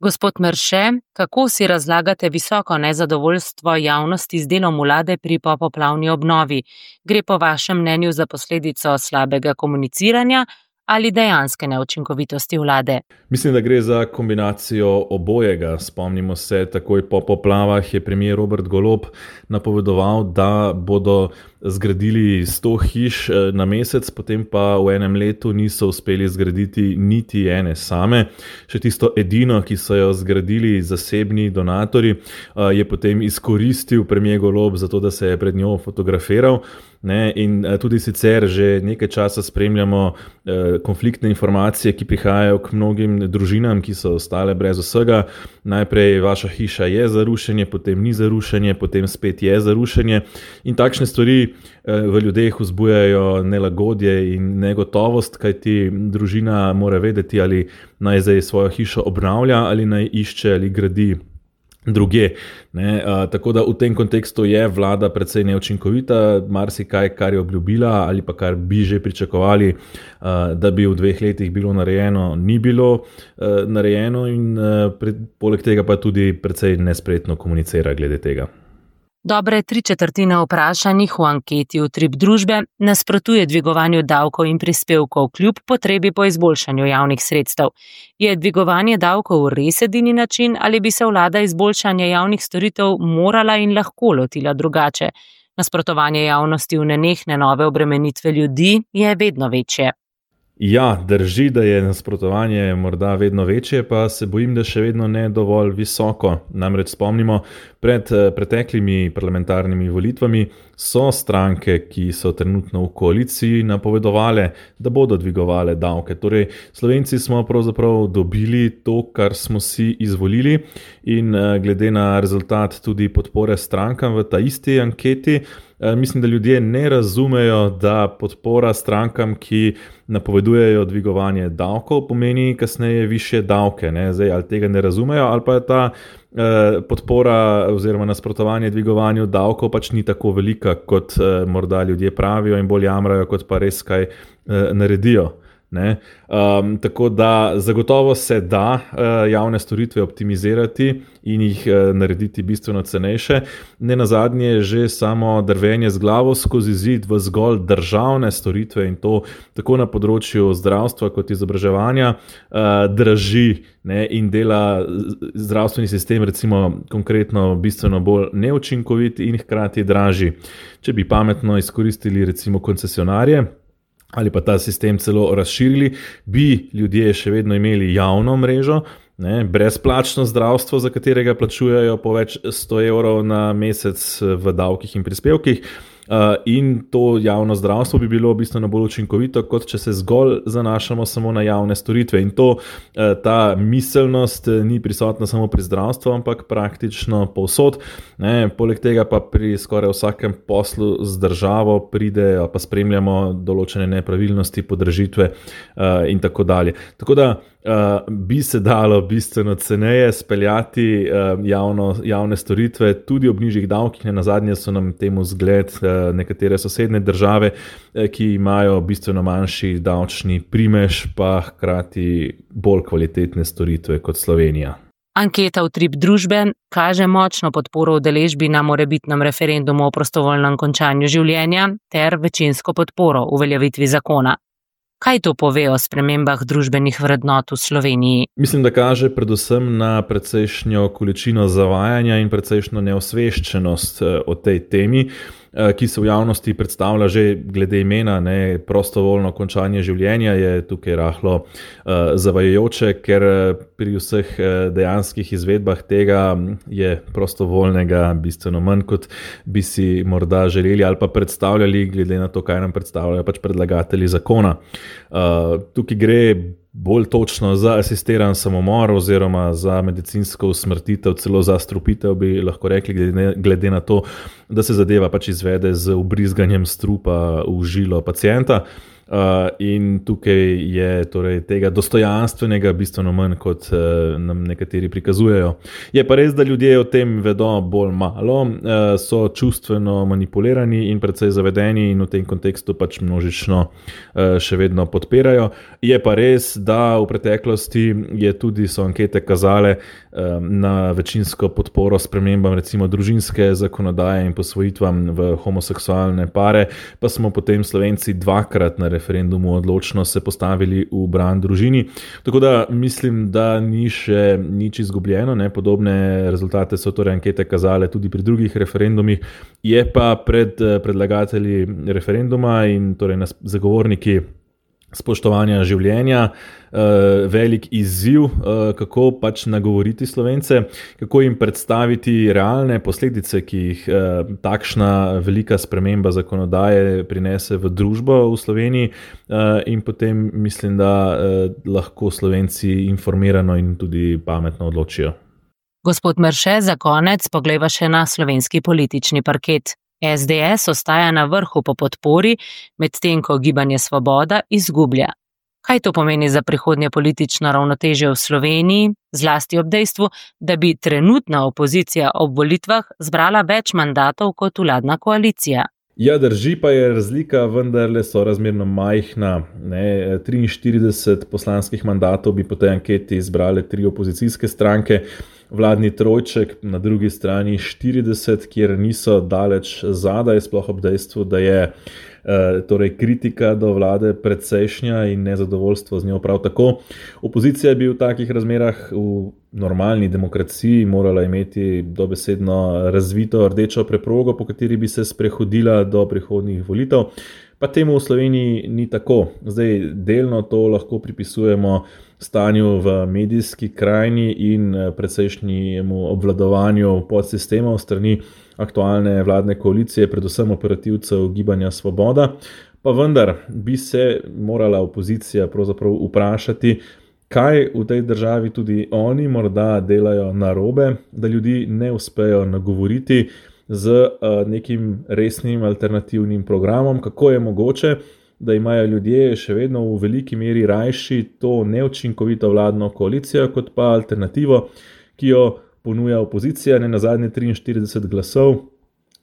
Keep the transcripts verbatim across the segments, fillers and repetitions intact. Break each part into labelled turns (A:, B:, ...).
A: Gospod Merše, kako si razlagate visoko nezadovoljstvo javnosti z delom vlade pri popoplavni obnovi? Gre po vašem mnenju za posledico slabega komuniciranja ali dejanske neučinkovitosti vlade?
B: Mislim, da gre za kombinacijo obojega. Spomnimo se, takoj po poplavah je premier Robert Golob napovedoval, da bodo zgradili sto hiš na mesec, potem pa v enem letu niso uspeli zgraditi niti ene same. Še tisto edino, ki so jo zgradili zasebni donatorji, je potem izkoristil premier Golob za to, da se je pred njo fotografiral. Ne, in tudi sicer že nekaj časa spremljamo eh, konfliktne informacije, ki prihajajo k mnogim družinam, ki so ostale brez vsega. Najprej vaša hiša je za rušenje, potem ni za rušenje, potem spet je za rušenje. In takšne stvari eh, v ljudeh vzbujajo nelagodje in negotovost, kajti družina mora vedeti, ali naj zdaj svojo hišo obnavlja ali naj išče ali gradi druge. Ne, a, tako da v tem kontekstu je vlada precej neučinkovita, marsikaj, kar je obljubila ali pa kar bi že pričakovali, a, da bi v dveh letih bilo narejeno, ni bilo a, narejeno in a, pred, poleg tega pa tudi precej nespretno komunicira glede tega.
A: Dobre tri četrtine vprašanih v anketi Utrip družbe nasprotuje dvigovanju davkov in prispevkov kljub potrebi po izboljšanju javnih sredstev. Je dvigovanje davkov res edini način ali bi se vlada izboljšanja javnih storitev morala in lahko lotila drugače? Nasprotovanje javnosti v nenehne nove obremenitve ljudi je vedno večje.
B: Ja, drži, da je nasprotovanje morda vedno večje, pa se bojim, da še vedno ne dovolj visoko. Namreč spomnimo, pred preteklimi parlamentarnimi volitvami so stranke, ki so trenutno v koaliciji, napovedovale, da bodo dvigovale davke. Torej, Slovenci smo pravzaprav dobili to, kar smo si izvolili in glede na rezultat tudi podpore strankam v ta isti anketi, mislim, da ljudje ne razumejo, da podpora strankam, ki napovedujejo dvigovanje davkov, pomeni kasneje višje davke. Ne? Zdaj, ali tega ne razumejo, ali pa je ta eh, podpora oziroma nasprotovanje dvigovanju davkov pač ni tako velika, kot eh, morda ljudje pravijo in bolj jamrajo, kot pa res kaj eh, naredijo. Ne? Um, tako da zagotovo se da uh, javne storitve optimizirati in jih uh, narediti bistveno cenejše. Ne nazadnje že samo drvenje z glavo skozi zid v zgolj državne storitve in to tako na področju zdravstva kot izobraževanja uh, draži, ne? In dela zdravstveni sistem recimo konkretno bistveno bolj neučinkovit in hkrati dražji. Če bi pametno izkoristili recimo koncesionarje ali pa ta sistem celo razširili, bi ljudje še vedno imeli javno mrežo, ne, brezplačno zdravstvo, za katerega plačujejo po več sto evrov na mesec v davkih in prispevkih. Uh, in to javno zdravstvo bi bilo bistveno bolj učinkovito, kot če se zgolj zanašamo samo na javne storitve. In to, uh, ta miselnost ni prisotna samo pri zdravstvu, ampak praktično povsod. Ne, poleg tega pa pri skoraj vsakem poslu z državo pride, pa spremljamo določene nepravilnosti, podražitve uh, in tako dalje. Tako da Uh, bi se dalo bistveno ceneje speljati uh, javno, javne storitve, tudi ob nižjih davkih. Ne nazadnje so nam temu zgled uh, nekatere sosednje države, uh, ki imajo bistveno manjši davčni primež, pa hkrati bolj kvalitetne storitve kot Slovenija.
A: Anketa Utrip družbe kaže močno podporo udeležbi na morebitnem referendumu o prostovoljnem končanju življenja ter večinsko podporo uveljavitvi zakona. Kaj to pove o spremembah družbenih vrednot v Sloveniji?
B: Mislim, da kaže predvsem na precejšnjo količino zavajanja in precejšnjo neosveščenost o tej temi, ki se v javnosti predstavlja že glede imena, ne, prostovoljno končanje življenja je tukaj rahlo uh, zavajajoče, ker pri vseh dejanskih izvedbah tega je prostovoljnega bistveno manj, kot bi si morda želeli ali pa predstavljali, glede na to, kaj nam predstavljajo pač predlagatelji zakona. Uh, tukaj gre bolj točno za asistiran samomor oziroma za medicinsko usmrtitev, celo za strupitev bi lahko rekli, glede, glede na to, da se zadeva pač izvede z vbrizganjem strupa v žilo pacienta. Uh, in tukaj je torej tega dostojanstvenega bistveno manj, kot uh, nam nekateri prikazujejo. Je pa res, da ljudje o tem vedo bolj malo, uh, so čustveno manipulirani in precej zavedeni in v tem kontekstu pač množično uh, še vedno podpirajo. Je pa res, da v preteklosti je tudi so ankete kazale um, na večinsko podporo spremembam recimo družinske zakonodaje in posvojitvam v homoseksualne pare, pa smo potem Slovenci dvakrat na referendumu odločno se postavili v bran družini. Tako da mislim, da ni še nič izgubljeno, ne? Podobne rezultate so torej ankete kazale tudi pri drugih referendumih. Je pa pred predlagatelji referenduma in torej zagovorniki spoštovanja življenja velik izziv, kako pač nagovoriti Slovence, kako jim predstaviti realne posledice, ki jih takšna velika sprememba zakonodaje prinese v družbo v Sloveniji, in potem mislim, da lahko Slovenci informirano in tudi pametno odločijo.
A: Gospod Merše, za konec poglejva še na slovenski politični parket. es de es ostaja na vrhu po podpori, medtem ko Gibanje Svoboda izgublja. Kaj to pomeni za prihodnje politično ravnotežje v Sloveniji, zlasti ob dejstvu, da bi trenutna opozicija ob volitvah zbrala več mandatov kot vladna koalicija?
B: Ja, drži, pa je razlika vendarle sorazmerno majhna. Ne, triinštirideset poslanskih mandatov bi po tej anketi izbrale tri opozicijske stranke, vladni trojček, na drugi strani štirideset, kjer niso daleč zadaj, sploh ob dejstvu, da je torej kritika do vlade precejšnja in nezadovoljstvo z njo prav tako. Opozicija bi v takih razmerah v normalni demokraciji morala imeti dobesedno razvito rdečo preprogo, po kateri bi se sprehodila do prihodnjih volitev. Pa temu v Sloveniji ni tako. Zdaj, delno to lahko pripisujemo stanju v medijski krajini in precejšnjemu obvladovanju podsistemov strani aktualne vladne koalicije, predvsem operativcev Gibanja Svoboda. Pa vendar bi se morala opozicija pravzaprav vprašati, kaj v tej državi tudi oni morda delajo narobe, da ljudi ne uspejo nagovoriti z nekim resnim alternativnim programom, kako je mogoče, da imajo ljudje še vedno v veliki meri rajši to neučinkovito vladno koalicijo, kot pa alternativo, ki jo ponuja opozicija, ne nazadnje triinštirideset glasov,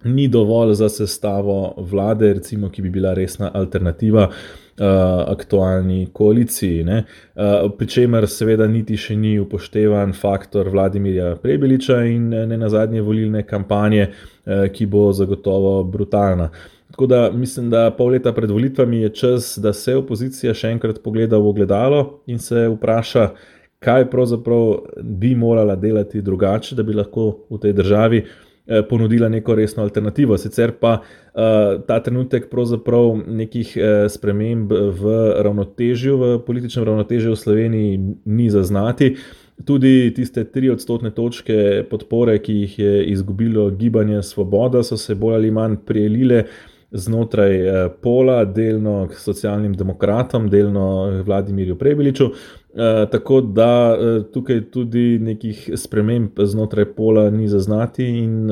B: ni dovolj za sestavo vlade, recimo, ki bi bila resna alternativa uh, aktualni koaliciji. Ne? Uh, pri čemer seveda niti še ni upoštevan faktor Vladimirja Prebiliča in ne nazadnje volilne kampanje, uh, ki bo zagotovo brutalna. Tako da mislim, da pol leta pred volitvami je čas, da se opozicija še enkrat pogleda v ogledalo in se vpraša, kaj pravzaprav bi morala delati drugače, da bi lahko v tej državi ponudila neko resno alternativo. Sicer pa uh, ta trenutek pravzaprav nekih uh, sprememb v ravnotežju, v političnem ravnotežju v Sloveniji ni zaznati. Tudi tiste tri odstotne točke podpore, ki jih je izgubilo Gibanje Svoboda, so se bolj ali manj prijelile znotraj pola, delno k socialnim demokratom, delno Vladimirju Prebiliču, tako da tukaj tudi nekih sprememb znotraj pola ni zaznati in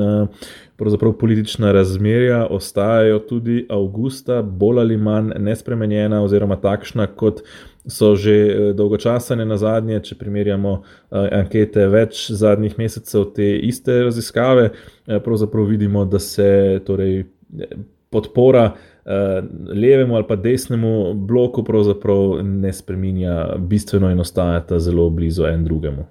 B: pravzaprav politična razmerja ostajajo tudi avgusta bolj ali manj nespremenjena oziroma takšna, kot so že dolgo časa, ne nazadnje, če primerjamo ankete več zadnjih mesecev te iste raziskave, pravzaprav vidimo, da se torej podpora levemu ali pa desnemu bloku pravzaprav ne spreminja bistveno in ostajata zelo blizu en drugemu.